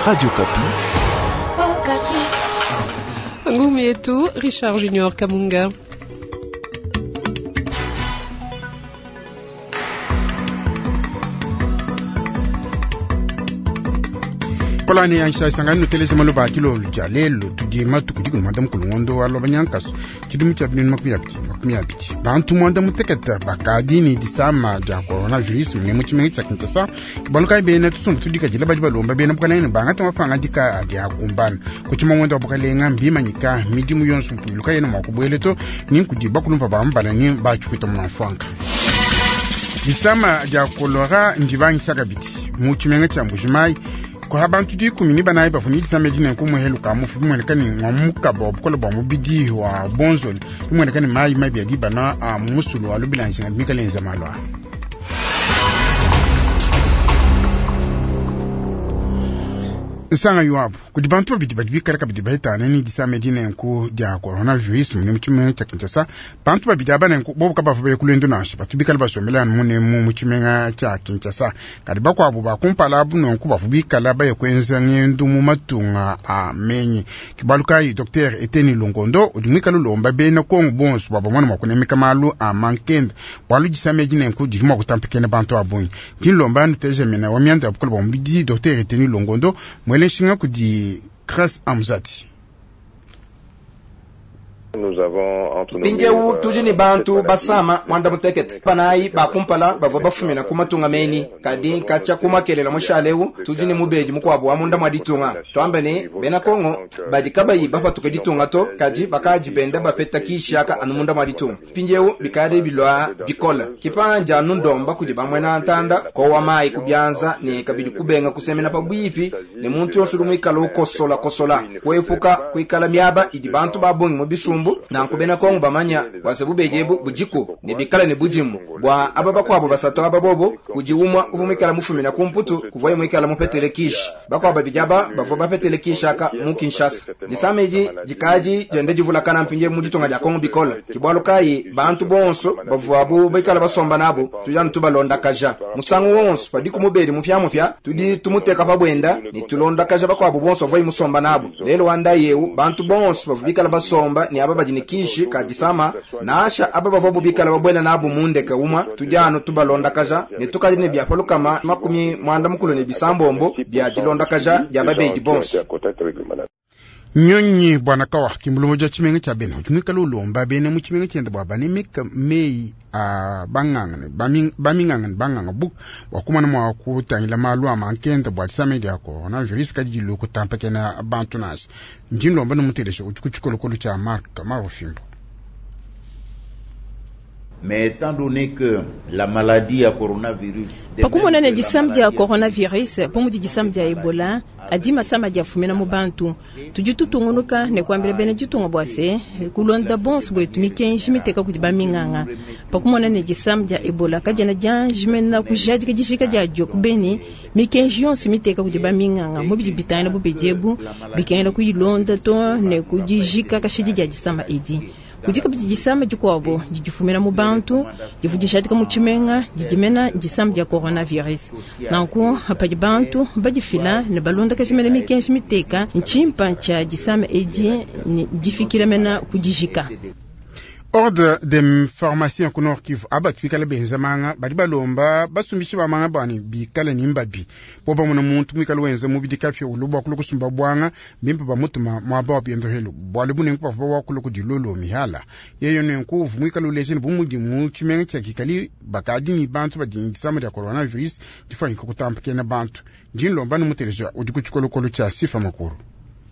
Radio Okapi. Ngumi yetu Richard Junior Kamunga. Kolani ya nshasangani nuteleze maloba akilo lya lelo tudi matuku dikulu mwanda mukulu ngondo wa loba nyankaso tshidimu tshia binunu 20 20 bantu mwanda muteketa bakadi ni disama dia coronavirus mune mu tshimenga tshia Kinshasa kibaluka bena tusumbu tudikadila badi balomba bena bukalenga ne bangata mapangadika adi akumbana kutshima ngondo wa bukalenga mbimanyika midimu yonso mpuiluka yena mua kubuela to ni nkudi bakulumpa bambala ni batshikuita mu mafuanka. Disama dia kolera ndibangisha kabidi mu tshimenga tshia Mbujimayi kwa bantu 14 bavua disama edi nenku muhelu ka mufu bimueneka ne ngwa mukaba wa bukole bua mubidi wa bonzoli bimueneka ne mayi mabi adi bana a musulu wa lubilanjinga mikale enza malu a nsanga yuabu kudi bantu babidi badi bikale kabidi bahitana ni disama edi nenku dia coronavirus mune mu tshimenga tshia Kinshasa. Bantu babidi aba nenku bobu kabavua baye ku lwendo nansha batu bikale basombela munemu mu tshimenga tshia Kinshasa. Kadi bakuabu ba kumpala abu nenku bavua bikala baye kuenza ngendu mu matunga a menyi. Kibalu kayi Dr Eteni Longondo udi muikale ulomba bena Kongo bonso bua bamone mua kunemeka malu a mankenda bualu disama edi nenku didi mua kutampakena bantu a bungi. Ndi nlomba nuteje mena wa mianda ya bukole bua mubidi Dr Eteni Longondo mwele nshinga kudi Grace Amzati. Mpindiewu tudi ne bantu basama mwanda mutekete panayi bakumpala bavua bafumina ku matunga meni kadi katshia kumakelela mushalewu tudi ne mubedi mukuabu wa munda mwa ditunga. Tuambe ne bena Kongo badi kabayi bapatuke ditunga to kadi bakadi benda bapeta kishaka anu munda mwa ditunga. Mpindiewu bikadi bilua bikola kipanja anu ndomba kudi bamwena ntanda kowa mayi kubyanza ne kabidi kubenga kusemena pabwipi ne muntu yonso udi muikala ukosola kosola kuepuka kuikala miaba idi bantu babungi mu bisumbu. Nanku bena Kongo bamanya bwase bubedi ebu budiku ne bikala ne budimu bwa aba bakuabo basatu aba bobo kudi umwa uvua muikala mufumina ku Mputu kuvuaye muikala mupetele kishi. Bakuabo babidi aba bavua bapetele kishi aka mu Kinshasa. Disama edi dikadi dienda divulakana mpindiewu mu ditunga dia Kongo bikola. Kibualu kayi bantu bonso bavuabu bikala basomba nabo tudi anu tubalondakaja musangu wonso padiku mubedi mupiamupia tudi tumuteka pa buenda ne tulondakaja bakuabo bonso bavuaye musomba nabo. Lelo wa ndayi ewu bantu bonso bavua bikala basomba ne aba badi ne kishi ka disama nasha aba bavua bikala babuela nabo mundeke umwa tudi anu tubalondakaja ne tukadi ne bia palukama 96 bia dilondakaja dia babedi bonso. Nyonyi bwana kawa kimbulungu ja tshimenga tshia bena udi muikale ulomba bena mu tshimenga tshiende bua banemeka meyi a banganga ne baminganga ne banganga buku bua kumona mua kutangila malu a mankenda bua disama dia coronavirus kadi dilue kutampakena bantu nansha. Ndi nlomba ne muteleja udi ku tshikolokolo tshia Mark Marofimbo. Mais étant donné que la maladie ya coronavirus pakumona ne disama dia coronavirus pamudi disama dia Ebola adi masama diafumina mu bantu tudi tutungunuka ne kuambila bena ditunga bua se kulonda bonso bwetu mikenji miteka kudi baminganga. Pakumona ne disama dia Ebola kadiena dianjimena kujadika dijika diadio kubeni mikenji yonso miteka kudi baminganga mu bidi bitangila bubedi ebu bikengela kuyilonda to ne kudijika kashidi dia disama edi. Kudi kabidi disama dikuabo didifumina mu bantu divua dijadika mu tshimenga didimena disama dia coronavirus. Nanku padi bantu badifila ne balondakaja mena mikenji miteka ntshimpa tshia disama edi ne difikila mena kudijika. Ordre de pharmacien ku Nord Kivu aba twikala benza manga badi balomba basumbishi ba manga bani bikale ni mbabi bo bamona muntu mwikale wenza mubidi kapya ulubu akulu kusumba bwanga bimpe bamutuma mwaba wa biendo helu bwale bunenku bavua wakulu kudilolo mihala yeyo nenku uvu mwikale ulejeni bumudi mu tshimenga tshia kikali bakadi ni bantu badi ni disama dia coronavirus difanyika kutampakena bantu. Ndi nlomba ni muteleja udi ku tshikolokolo tshia Sifa Makuru.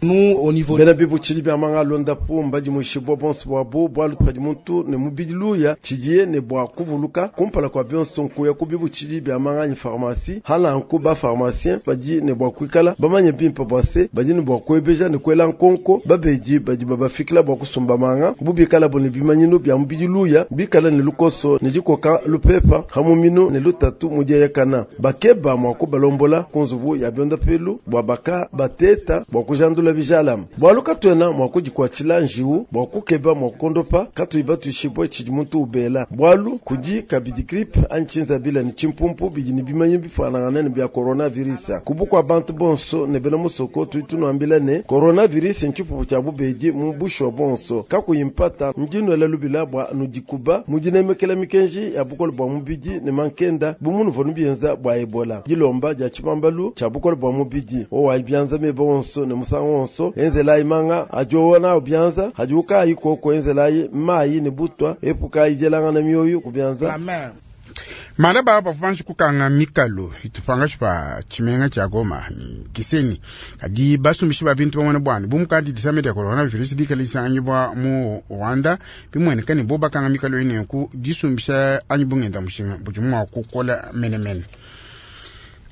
Nous, au niveau bena bibutshidi bia manga londapu mbadi mushibwa bonso bwabo bwalu padi muntu ne mubidi luya tshidiye ne bwa kuvuluka kumpala kwa bionso nkuya ku bibutshidi bia manga anyi pharmacie halanku ba pharmacien badi ne bwa kuikala bamanye bimpe bwa se badi ne bwa kuebeja ne kuela nkonko babedi badi babafikila bwa kusumba manga bubikala bo ne bimanyinu bia mubidi luya bikala ne lukoso ne dikoka lupepa hamuminu ne lutatu mudieyakana bakeba mwa kubalombola ku nzubu ya byondapelu bwa baka bateta bwa kujandula. bipatula bijalame, bwalu katwena mwa kudikwatshila njiwu bwa kukeba mwa kukondopa katuyi batuishibue tshidi muntu ubela, bwalu kudi kabidi grippe anyi tshinzabila ne tshimpumpu bidi ne bimanyinu bifuanangane ne bia coronavirus. Ku bukua bantu bonso ne bena musoko tudi tunuambila ne, coronavirus ntshipupu tshia bubedi mu bushuwa buonso kakuyi mpata. Ndi nuela lubila bua nudikuba mu dinemekela mikenji ya bukole bua mubidi ne mankenda bu munuvua nubienza bua Ebola. Dilomba dia tshibambalu tshia bukole bua mubidi: owayi bianza meba onso ne musangu wonso, enzelayi manga a diowa nawu bianza hadiwu kaayi koko, enzelayi mayi ne butwa, epukayi dielangana mioyo ku bianza. Malaba bavua banji kukanga mikalu itupangashi pa tshimenga tshia Goma ni Gisenyi, kadi basumbishi ba bintu bamona bwani bu mukadi disama dia coronavirus dikala disanganyibua mu Rwanda, bimueneka ne bo bakanga mikalu eyi nenku disumbisha anyi bungenda mushinga budi mua kukola menemene.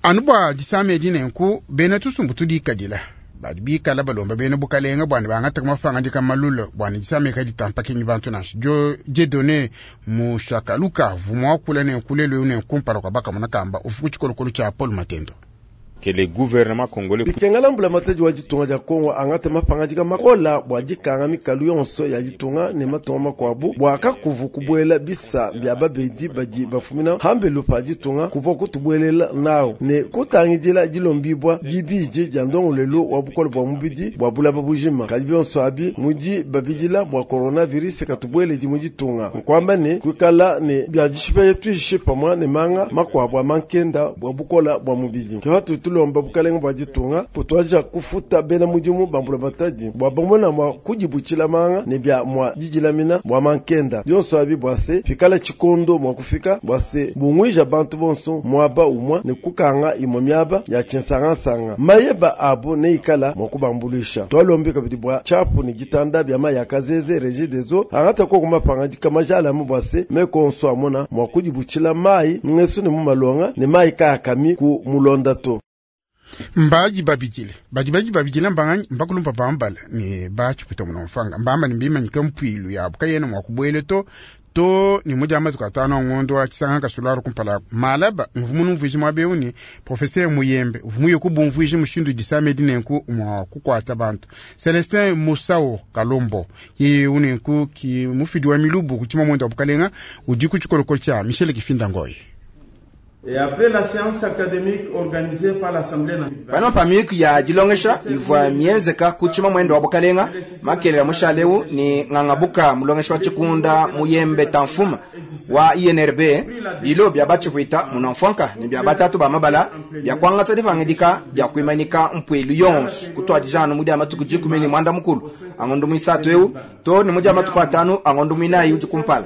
Anu bua disama edi nenku bena tusumbu tudikadila badi bikala balomba bena bukalenga bwani bangataka mapangadika malula bwani disama eka ditampakenyi bantu nansha. Dio Dieudonné Mushakaluka vumwa kula nenku lelu eu nenku kumpala kua bakamona kamba ufu ku tshikolokolo tshia Paul Matendo. Que le gouvernement congolais bikengela mbulamatadi wa ditunga dia Kongo angate mapangadika makola bua dikanga mikalu yonso ya ditunga ne matunga makuabu bua kakuvu kubuela bisa bia babedi badi bafumina hambelu pa ditunga kuvua kutubuelela nawu ne kutangidila dilombibua dibidi dia ndongoluelu wa bukole bua mubidi bua bulaba bujima. Kadi bionso abi mudi babidila bua coronavirus katubueledi mu ditunga, nkuamba ne kuikala ne bia dishipa tuishi pamua ne manga makuabu a mankenda bua bukola bua mubidi. Ke patu tulomba bukalenga bua ditunga kutuadija kufuta bena mudimu ba mbulamatadi bua bamona mua kudibutshila manga ne bia mua didilamina bua mankenda. Bionso abi bua se pikala tshikondo mua kufika bua se bunguija bantu bonso muaba umue ne kukanga imue miaba ya tshinsangansanga, mayeba abu neikala mua kubambuluisha. Twalombi kabidi bua tshiapu ne ditanda bia mayi a kazeze Regideso angata koko mapangadika majalame bua se meko onso amona mua kudibutshila mayi ngesu ne mu malonga ne mayi kayakami ku mulonda to. Mbaji babidile badi baji babidile mbanganyi mbakulumpa bambala ne batshiputa muno mfanga mbamba ne mbimanyike mpuilu yabu kayena mua kubuela to to ni mudia matuku atanu a ngondo wa tshisanga kasularu kumpala malaba mvumu numvuiji muaba eu ni professeur Muyembe uvua muye kubumvuija mushindu disama edi nenku mua kukuata bantu. Celestin Musao Kalombo yeye unenku ki mufidi wa milubu ku tshima wa bukalenga udi ku tshikolokolo tshia Michel Kifinda Ngoyi. Et après la séance académique organisée par l'Assemblée nationale, Pano pa miyuki ya dilongesha ivua mienzeka ku tshima mwendo wa bukalenga makelela mushalewu ni ng'angabuka mulongeshi wa tshikunda Muyembe Tamfuma wa INRB bilo bia batshivuita munamfwanka ne bia batatu ba mabala bia kuangatsa dipangidika bia kuimanika mpuilu yonso kutwadijanu mudi amatuku 18 angondo mwisatu eu to ni mudi amatuku 5 angondo mwinayi udi kumpala.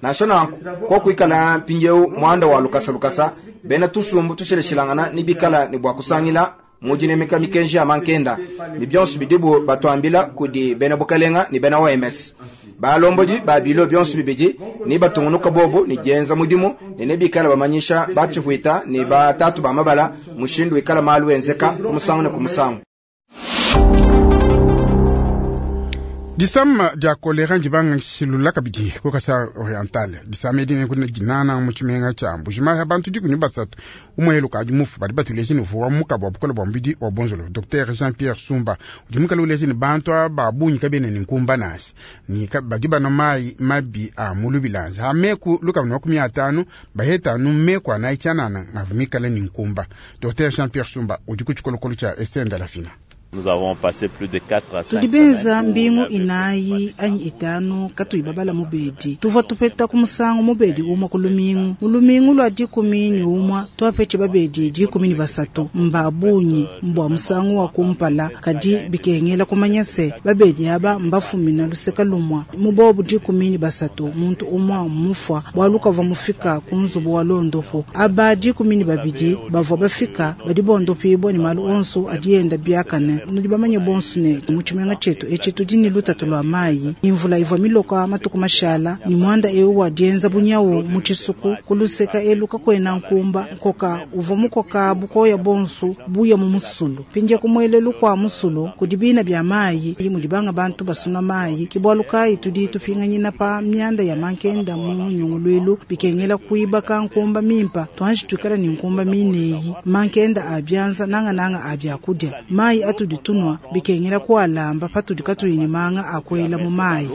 Nansha nanku kokuikala mpindieu mwanda wa lukasa lukasa bena tusumbu tusheleshilangana ni bikala ni bua kusangila mudinemeka mikenji ya mankenda ni bionso bidibu batuambila kudi bena bukalenga ni bena OMS. Balombodi ba bilo bionso bibidi ni batungunuka bobu ni dienza mudimu ne nebikala bamanyisha batshivuita ni batatu ba mabala mushindu wikala malu enzeka ku musangu ne ku musangu. Disama dia kolera ndibanga shilula kabidi ku Kasai Oriental. Disama edi nenku dinana mu tshimenga tshia Mbujimayi bantu 13 umwe lukadi mufu badi batuleje ne uvua mukaba wa bukole bua mubidi wa bonzolo. Docteur Jean-Pierre Sumba udi mukala uleje ne bantu aba bungi kabena ne nkumba nansha ni badi banwa mayi mabi a mu lubilanji ha meku 250 bahetanu meku anayi tshianana ngavu mikala ne nkumba. Docteur Jean-Pierre Sumba udi ku tshikolokolo tshia Esther Ndalafina. Nous avons passé plus de 4 à 5 Tudi benza semaines où mbingu on avait inayi anyi itanu katuyi babala mubedi tuvua tupeta ku musangu mubedi umwe ku lumingu mu lumingu lwa 11 twapetshi babedi 13 mba bunyi mbwa musangu wa kumpala kadi bikengela kumanya se babedi aba mbafumina luseka lumwa mu bobu 13 muntu umwa mufwa bwalu kavua mufika ku nzubu wa londopo aba 12 bavua bafika badi bondopibwa ni malu onso adienda biakane. Nudi bamanye bonso ne mu tshimenga tshietu etshi tudi ne lutatu lua mayi imvula ivua miloka matuku mashala ni mwanda eu wa dienza bunyawu mu tshisuku ku luseka elu kakuena nkumba nkoka uvua mukoka bukoya bonso buya mu musulu pindia kumuelelu kua musulu kudi bina bia mayi mudi banga bantu basuna mayi kibwalu kayi tudi tupinganyina pa mianda ya mankenda mu nyunguluilu bikengela kuibaka nkumba mimpa twanji tuikala ni nkumba mineyi mankenda a bianza nangananga a biakudia mayi atu atudi tunua bikengela kualamba patudi katuyi ne manga a kuela mu mayi.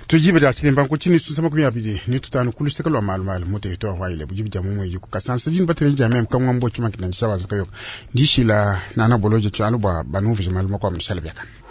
Tujibe dia tshilemba nkutshinyi susa 25 ku luseke lwa malu malu mu territoire wa Ilebo jibe dia mumwe ku Kasansa jini batele dia meme kamwa mbo chuma kinandisha bazuka yoka ndishila nana boloje tshialu bwa banuvije malu makwa mshala byakana.